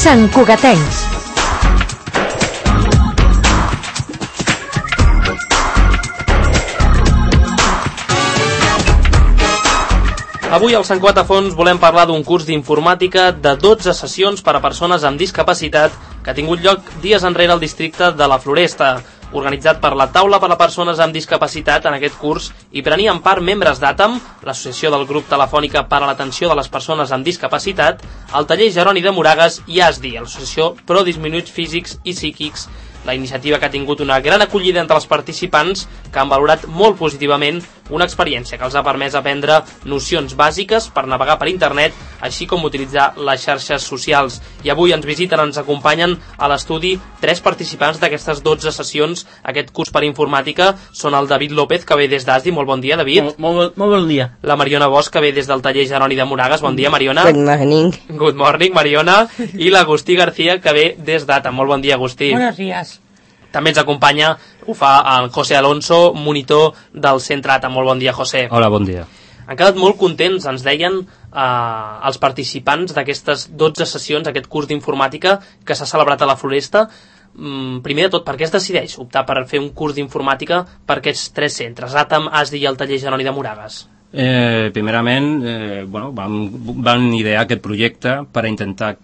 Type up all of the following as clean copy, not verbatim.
Sant Cugatencs. Avui al Sant Cugat a Fons volem parlar d'un curs d'informàtica de 12 sessions per a persones amb discapacitat que ha tingut lloc dies enrere al districte de la Floresta. Organitzat per la Taula per a Persones amb Discapacitat, en aquest curs hi prenien part membres d'ATAM, l'Associació del Grup Telefònica per a l'Atenció de les Persones amb Discapacitat, el Taller Jeroni de Moragues i ASDI, l'Associació Pro Disminuïts Físics i Psíquics. La iniciativa que ha tingut una gran acollida entre els participants, que han valorat molt positivament una experiència que els ha permès aprendre nocions bàsiques per navegar per internet, així com utilitzar les xarxes socials. I avui ens visiten, ens acompanyen a l'estudi 3 participants d'aquestes 12 sessions. Aquest curs per informàtica són el David López, que ve des d'ASDI. Molt bon dia, David. Molt bon dia. La Mariona Bosch, que ve des del Taller Jeroni de Moragues. Bon dia, Mariona. Good morning. Good morning, Mariona. I l'Agustí García, que ve des d'ATA. Molt bon dia, Agustí. Buenos días. També ens acompanya, ho fa el José Alonso, monitor del centre ATA. Molt bon dia, José. Hola, bon dia. Han quedat molt contents, ens deien els participants d'aquestes 12 sessions, aquest curs d'informàtica que s'ha celebrat a la Floresta. Primer de tot, per què es decideix optar per fer un curs d'informàtica per aquests 3 centres, ATAM, ASDI i el Taller Jeroni de Moragues? Primerament, vam idear aquest projecte per intentar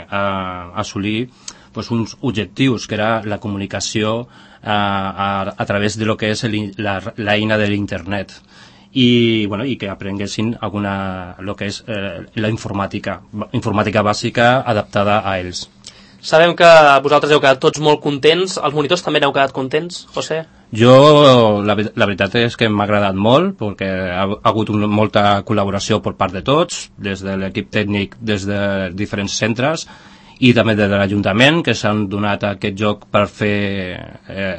assolir uns objectius, que era la comunicació a través de lo que és l'eina de l'internet i que aprenguessin lo que és la informàtica bàsica adaptada a ells. Sabem que vosaltres heu quedat tots molt contents. Els monitors també n'heu quedat contents, José? Jo, la veritat és que m'ha agradat molt, perquè ha hagut molta col·laboració per part de tots, des de l'equip tècnic, des de diferents centres, i també de l'Ajuntament, que s'han donat aquest joc per fer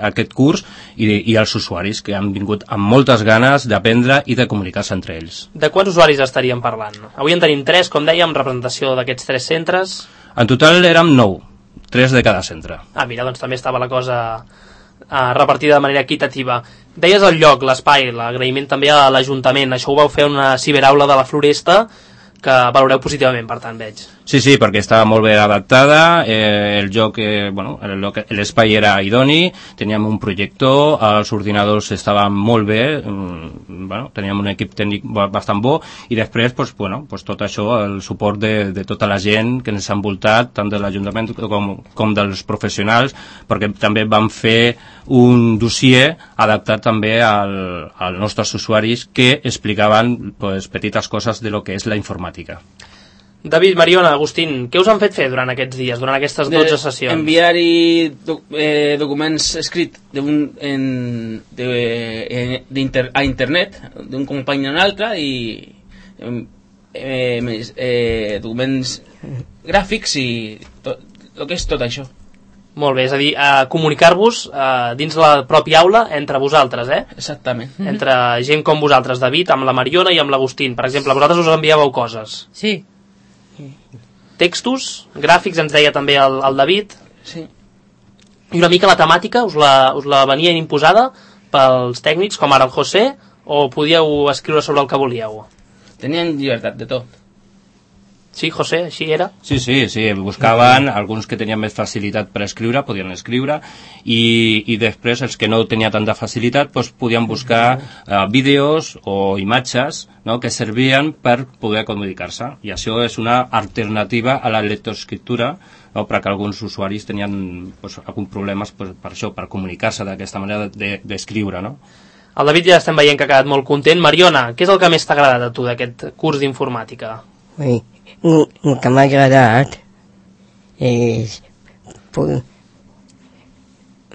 aquest curs, i els usuaris, que han vingut amb moltes ganes d'aprendre i de comunicar-se entre ells. De quants usuaris estaríem parlant? Avui en tenim 3, com dèiem, representació d'aquests 3 centres. En total érem 9, 3 de cada centre. Mira, doncs també estava la cosa repartida de manera equitativa. Deies el lloc, l'espai, l'agraïment també a l'Ajuntament. Això ho vau fer una ciberaula de la Floresta, que valoreu positivament, per tant, veig. Sí, perquè estava molt bé adaptada, el joc, l'espai era idoni, teníem un projector, els ordinadors estaven molt bé, teníem un equip tècnic bastant bo, i després, tot això, el suport de tota la gent que ens ha envoltat, tant de l'Ajuntament com dels professionals, perquè també vam fer un dossier adaptat també als nostres usuaris que explicaven petites coses de lo que és la informàtica. David, Mariona, Agustín, què us han fet fer durant aquests dies, durant aquestes 12 sessions? Enviar-hi documents escrits a internet d'un company a un altre i documents gràfics i el que és tot això. Molt bé, és a dir, comunicar-vos dins la pròpia aula entre vosaltres, Exactament. Entre gent com vosaltres, David, amb la Mariona i amb l'Agustín. Per exemple, vosaltres us enviàveu coses. Sí. Textos, gràfics, ens deia també el David. Sí. I una mica la temàtica, us la venien imposada pels tècnics, com ara el José, o podíeu escriure sobre el que volíeu? Tenien llibertat de tot. Sí, José, així era? Sí, buscaven alguns que tenien més facilitat per escriure, podien escriure, i després els que no tenien tanta facilitat podien buscar vídeos o imatges que servien per poder comunicar-se, i això és una alternativa a la lectoescriptura, perquè alguns usuaris tenien alguns problemes per això, per comunicar-se d'aquesta manera d'escriure, no? El David ja estem veient que ha quedat molt content. Mariona, què és el que més t'ha agradat a tu d'aquest curs d'informàtica? El que m'ha agradat és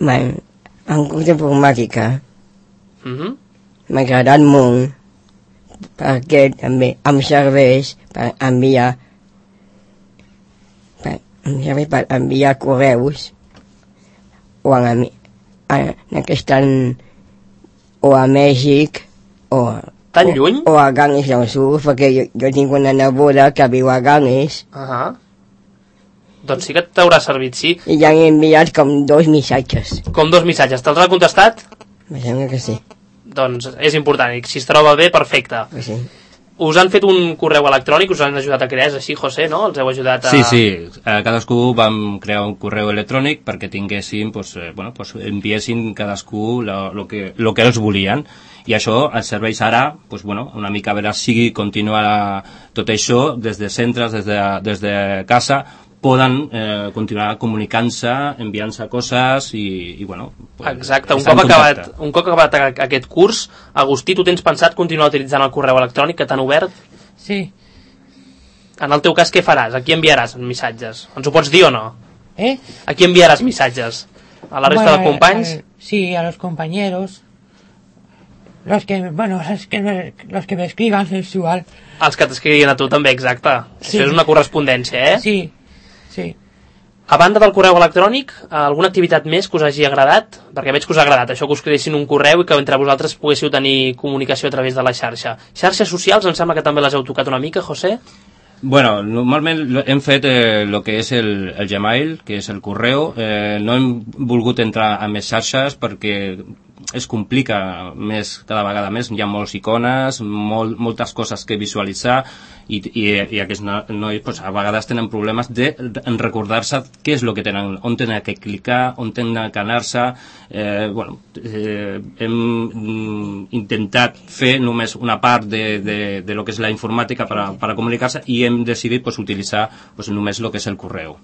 en curs d'informàtica. M'ha agradat molt perquè també em serveix per enviar correus o o a Mèxic tan lluny? O a Ganges del Sur, perquè jo tinc una neboda que viu a Ganges. Doncs sí que t'haurà servit, sí. I ja han enviat com 2 missatges. Com 2 missatges. Te'ls ha contestat? Me sembla que sí. Doncs és important, i si es troba bé, perfecte. Sí. Us han fet un correu electrònic, us han ajudat a crear, és així, José, no? Els heu ajudat a... Sí, cadascú vam crear un correu electrònic perquè tinguéssim, enviessin cadascú lo que ells volien, i això ens serveix ara, una mica a veure si continuar tot això des de centres, des de casa, poden continuar comunicant-se, enviant-se coses i Exacte, un cop acabat aquest curs, Agustí, tu tens pensat continuar utilitzant el correu electrònic que t'han obert? Sí. En el teu cas, què faràs? A qui enviaràs missatges? Ens ho pots dir o no? A qui enviaràs missatges? A la resta de companys? Sí, a los compañeros. Los que me escriban, es igual. Els que t'escrivien a tu també, exacte. Sí. Això és una correspondència, Sí. A banda del correu electrònic, alguna activitat més que us hagi agradat? Perquè veig que us ha agradat això, que us creessin un correu i que entre vosaltres poguéssiu tenir comunicació a través de la xarxa. Xarxes socials, em sembla que també les heu tocat una mica, José? Bueno, normalment hem fet el que és el Gmail, que és el correu. No hem volgut entrar a més xarxes perquè es complica més, cada vegada més. Hi ha moltes icones, moltes coses que visualitzar i aquests nois a vegades tenen problemes en recordar-se què és el que tenen, on tenen que clicar, on tenen que anar-se. Hem intentat fer només una part de lo que és la informàtica per a comunicar-se i hem decidit utilitzar només el que és el correu.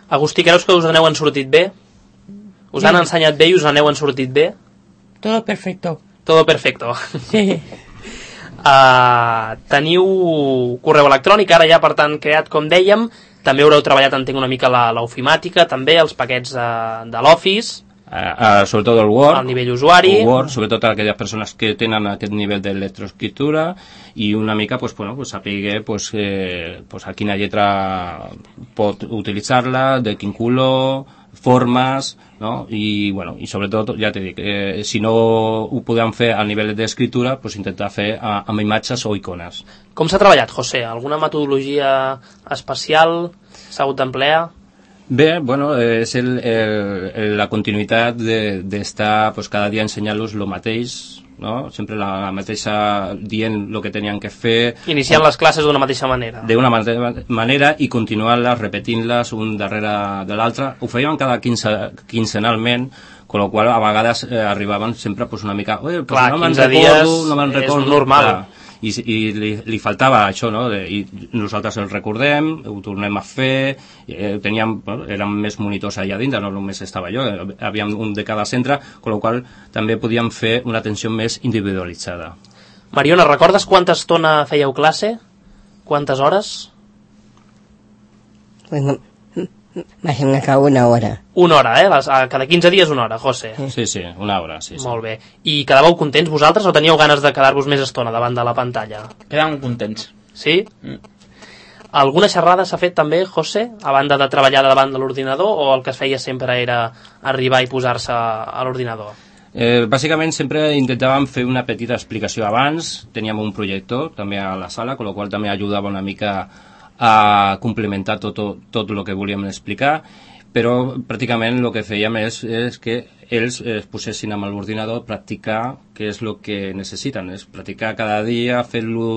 Agustí, creus que us n'heu sortit bé? Us han ensenyat bé i us n'heu sortit bé? Todo perfecto. Todo perfecto. Sí. Teniu correu electrònic, ara ja per tant creat, com dèiem. També haureu treballat, entenc, una mica l'ofimàtica, també els paquets de l'Office. Sobretot el Word, al nivell usuari, sobretot a aquelles persones que tenen aquest nivell de lectoescriptura i una mica saber a quina lletra pot utilitzar-la, de quin color, formes, no? I sobretot, ja t'he dit, si no ho podem fer a nivell d'escriptura, intentar fer amb imatges o icones. Com s'ha treballat, José? Alguna metodologia especial s'ha hagut d'emplear? Bé, és la continuïtat d'estar cada dia ensenyant-los el mateix, no? Sempre la mateixa, dient el que tenien que fer. Iniciant les classes d'una mateixa manera. D'una mateixa manera i continuant-les, repetint-les un darrere de l'altre. Ho fèiem cada quinzenalment, amb la qual a vegades arribaven sempre una mica... Clar, 15 dies és normal. I li faltava això, no? I nosaltres el recordem, ho tornem a fer, érem més monitors allà dintre, no només estava jo, havíem un de cada centre, amb la qual també podíem fer una atenció més individualitzada. Mariona, recordes quanta estona fèieu classe? Quantes hores? Más o menos una hora. Una hora, cada 15 dies una hora, José. Sí, una hora, sí. Molt bé. I quedàveu contents vosaltres o teníeu ganes de quedar-vos més estona davant de la pantalla? Quedàvem contents. Sí? Alguna xerrada s'ha fet també, José, a banda de treballar davant de l'ordinador, o el que es feia sempre era arribar i posar-se a l'ordinador? Bàsicament sempre intentàvem fer una petita explicació abans, teníem un projector també a la sala, amb la qual també ajudava una mica a complementar tot el que volíem explicar, però pràcticament el que fèiem és que ells es posessin amb l'ordinador a practicar què és el que necessiten, és practicar cada dia,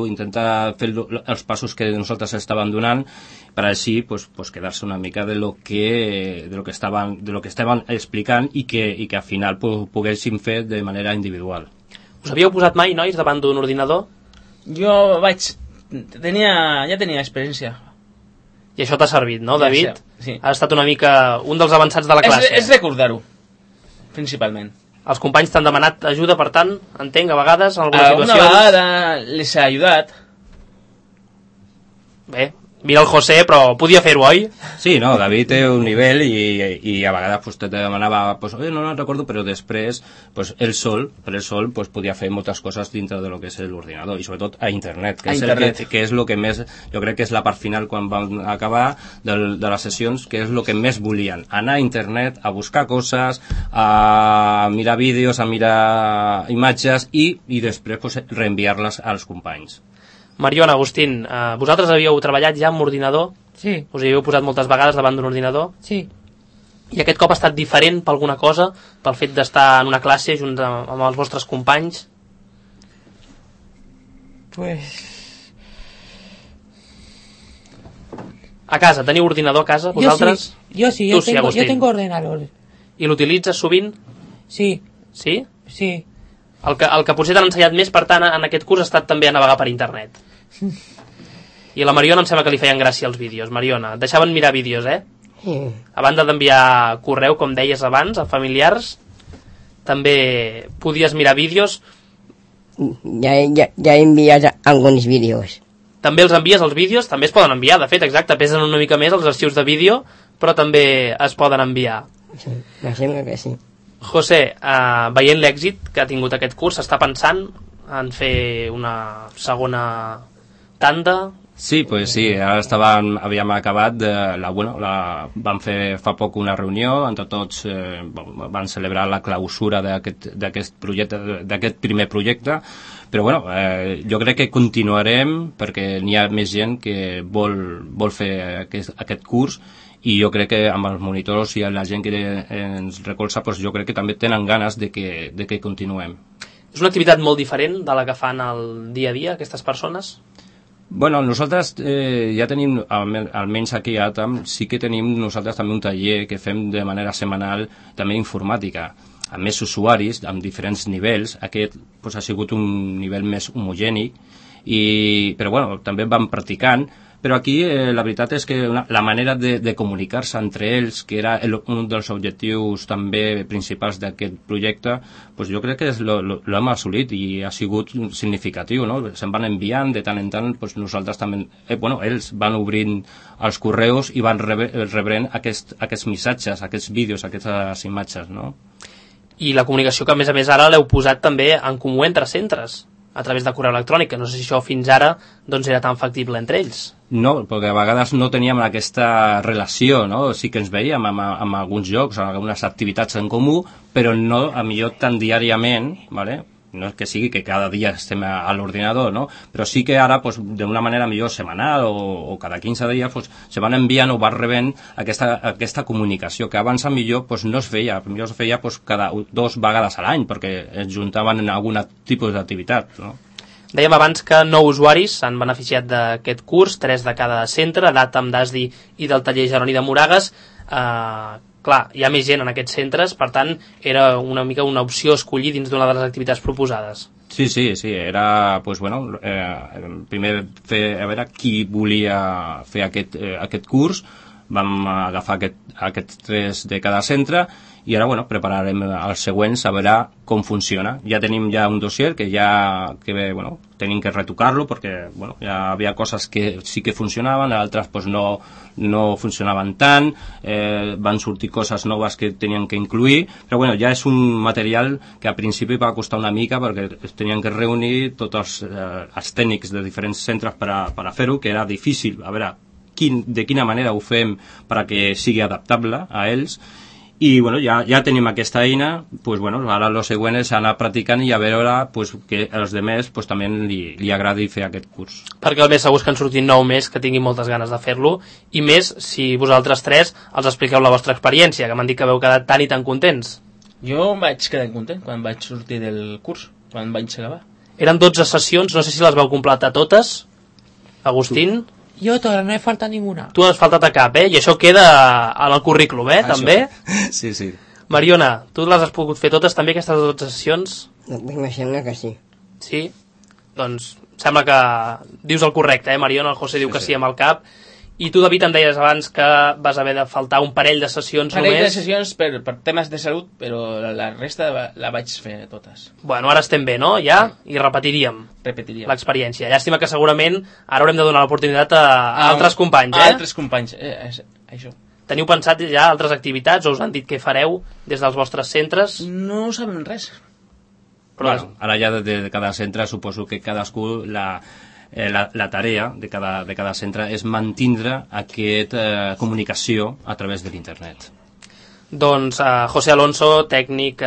intentar fer els passos que nosaltres estàvem donant per així quedar-se una mica de lo que estaven explicant i que al final poguéssim fer de manera individual. Us havíeu posat mai, nois, davant d'un ordinador? Jo ja tenia experiència. I això t'ha servit, no, David? Sí. Ha estat una mica un dels avançats de la classe. És recordar-ho, principalment. Els companys t'han demanat ajuda, per tant, entenc, a vegades, en algunes situacions... Una vegada les ha ajudat. Bé, mira el José, però podia fer-ho, oi? Sí, no, David té un nivell i a vegades te demanava, no recordo, però després ell sol podia fer moltes coses dintre de lo que és l'ordinador i sobretot a internet, que és el que més, jo crec que és la part final quan vam acabar de les sessions, que és el que més volien, anar a internet a buscar coses, a mirar vídeos, a mirar imatges i després reenviar-les als companys. Mariona, Agustín, vosaltres havíeu treballat ja amb ordinador? Sí. Us hi havíeu posat moltes vegades davant d'un ordinador? Sí. I aquest cop ha estat diferent per alguna cosa? Pel fet d'estar en una classe junt amb els vostres companys? Pues A casa, teniu ordinador a casa, vosaltres? Yo sí, Tu sí, yo Agustín. tengo ordenador. I l'utilitzes sovint? Sí, Sí? sí. El que potser t'han ensenyat més, per tant, en aquest curs ha estat també a navegar per internet. I a la Mariona em sembla que li feien gràcia els vídeos. Mariona, et deixaven mirar vídeos, eh? Sí. A banda d'enviar correu, com deies abans, a familiars, també podies mirar vídeos. Ya he enviado algunos vídeos. També els envies els vídeos, també es poden enviar, de fet, exacte, pesen una mica més els arxius de vídeo, però també es poden enviar. Sí, me sembla que sí. José, veient l'èxit que ha tingut aquest curs, està pensant en fer una segona tanda? Sí, pues sí, ara havíem acabat vam fer fa poc una reunió, entre tots van celebrar la clausura d'aquest projecte, d'aquest primer projecte, però bueno, jo crec que continuarem perquè n'hi ha més gent que vol fer aquest curs, i jo crec que amb els monitors i la gent que ens recolza, pues jo crec que també tenen ganes de que continuem. És una activitat molt diferent de la que fan el dia a dia aquestes persones? Bueno, nosaltres ja tenim, almenys aquí a ATAM, sí que tenim nosaltres també un taller que fem de manera setmanal, també informàtica, amb més usuaris, amb diferents nivells. Aquest pues, ha sigut un nivell més homogènic, però bueno, també vam practicant. Però aquí la veritat és que la manera de comunicar-se entre ells, que era un dels objectius també principals d'aquest projecte, pues jo crec que l'hem assolit i ha sigut significatiu, no? Se'n van enviant de tant en tant, pues nosaltres també, ells van obrint els correus i van rebrent aquests missatges, aquests vídeos, aquestes imatges, no? I la comunicació que a més ara l'heu posat també en comú entre centres, a través de correu electrònic, que no sé si això fins ara doncs era tan factible entre ells. No, perquè a vegades no teníem aquesta relació, no? Sí que ens veiem amb alguns jocs, amb algunes activitats en comú, però no, a millor tan diàriament, ¿vale? No és que sigui que cada dia estem a l'ordinador, no? Però sí que ara, pues, d'una manera millor setmanal o cada 15 dies, pues, se van enviant o van rebent aquesta comunicació, que abans millor pues, no es feia, millor es feia pues, cada 2 vegades a l'any, perquè es juntaven en algun tipus d'activitat, no? Dèiem abans que 9 usuaris s'han beneficiat d'aquest curs, 3 de cada centre, d'Àtam, d'Asdi i del taller Jeroni de Moragues. Clar, hi ha més gent en aquests centres, per tant, era una mica una opció escollir dins d'una de les activitats proposades. Sí, era, pues bueno, primer a veure qui volia fer aquest curs, vam agafar aquests 3 de cada centre, i ara, bueno, prepararem els següents a veure com funciona. Ja tenim un dossier que tenim que retocar-lo perquè, bueno, ja havia coses que sí que funcionaven, altres pues, no funcionaven tant, van sortir coses noves que tenien que incluir, però bueno, ja és un material que a principi va costar una mica perquè es tenien que reunir tots els tècnics de diferents centres per a fer-ho, que era difícil, a veure de quina manera ho fem perquè sigui adaptable a ells. I bueno, ja tenim aquesta eina, pues bueno, ara el següent és anar practicant i a veure pues, que als demés pues, també li agradi fer aquest curs. Perquè el més segur és que en surtin 9 més que tinguin moltes ganes de fer-lo, i més si vosaltres 3 els expliqueu la vostra experiència, que m'han dit que veu quedat tan i tan contents. Jo em vaig quedar content quan vaig sortir del curs, quan vaig acabar. Eren 12 sessions, no sé si les vau completar totes. Agustín? Yo todavía no me falta ninguna. Tu has faltat a cap, I això queda en el currículum, també? Sí. Mariona, tu les has pogut fer totes també, aquestes 12 sessions? Me sembla que sí. Sí? Doncs sembla que dius el correcte, Mariona? El José diu que sí amb el cap. I tu, David, em deies abans que vas haver de faltar un parell de sessions només. Parell de sessions per temes de salut, però la resta la vaig fer totes. Bueno, ara estem bé, no? Ja? I repetiríem l'experiència. Llàstima que segurament ara haurem de donar l'oportunitat a altres companys, A altres companys, això. Teniu pensat ja altres activitats o us han dit què fareu des dels vostres centres? No sabem res. Però bueno, ara ja de cada centre suposo que cadascú la tarea de cada centre és mantindre aquesta comunicació a través de l'internet. Doncs José Alonso, tècnic,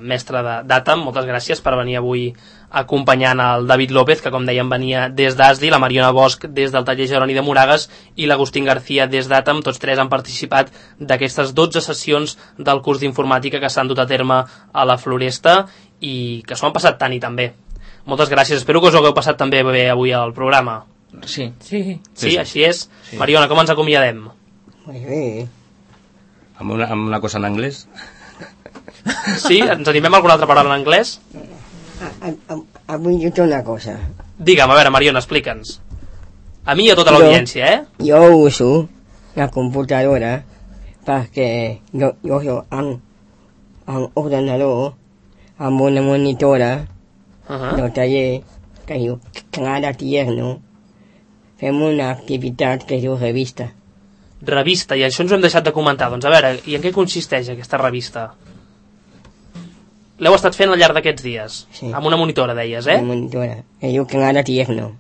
mestre d'Àtam, moltes gràcies per venir avui acompanyant el David López, que com dèiem venia des d'Asdi, la Mariona Bosch des del taller Jeroni de Moragues i l'Agustín García des d'Àtam. Tots 3 han participat d'aquestes 12 sessions del curs d'informàtica que s'han dut a terme a la Floresta i que s'ho han passat tant i tan bé. Moltes gràcies, espero que us ho hagueu passat també bé avui al programa. Sí. Sí. Sí, així és. Mariona, com ens acomiadem? Pues bé. Amb una cosa en anglès? Sí? Ens animem a alguna altra paraula en anglès? Avui jo té una cosa. Digue'm, a veure, Mariona, explica'ns. A mi i a tota l'audiència, Jo uso la computadora perquè jo en ordenador amb una monitora del taller que diu Clara Tierno. Fem una activitat que es diu revista. Revista, i això ens ho hem deixat de comentar. Doncs a veure, i en què consisteix aquesta revista? L'heu estat fent al llarg d'aquests dies? Sí. Amb una monitora, deies, Una monitora que diu Clara Tierno.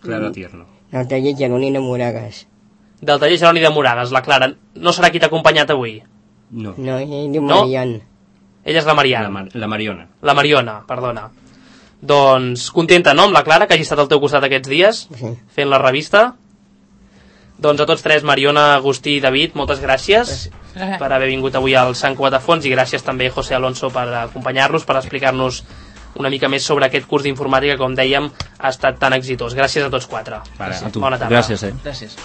Clara Tierno. Del taller Jeroni de Moragas. Del taller Jeroni de Moragas, la Clara. No serà qui t'ha acompanyat avui? No. No, ell diu No? Marian. Ella és la Mariana. La Mariona. La Mariona, perdona. Doncs contenta, no, amb la Clara, que hagi estat al teu costat aquests dies, Sí. fent la revista. Doncs a tots tres, Mariona, Agustí i David, moltes gràcies per haver vingut avui al Sant Cuatafons, i gràcies també, José Alonso, per acompanyar-nos, per explicar-nos una mica més sobre aquest curs d'informàtica que, com dèiem, ha estat tan exitós. Gràcies a tots quatre. Vale, a tu. Bona tarda. Gràcies, Gràcies.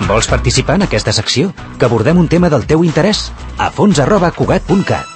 Vols participar en aquesta secció? Que abordem un tema del teu interès? a fons@cugat.cat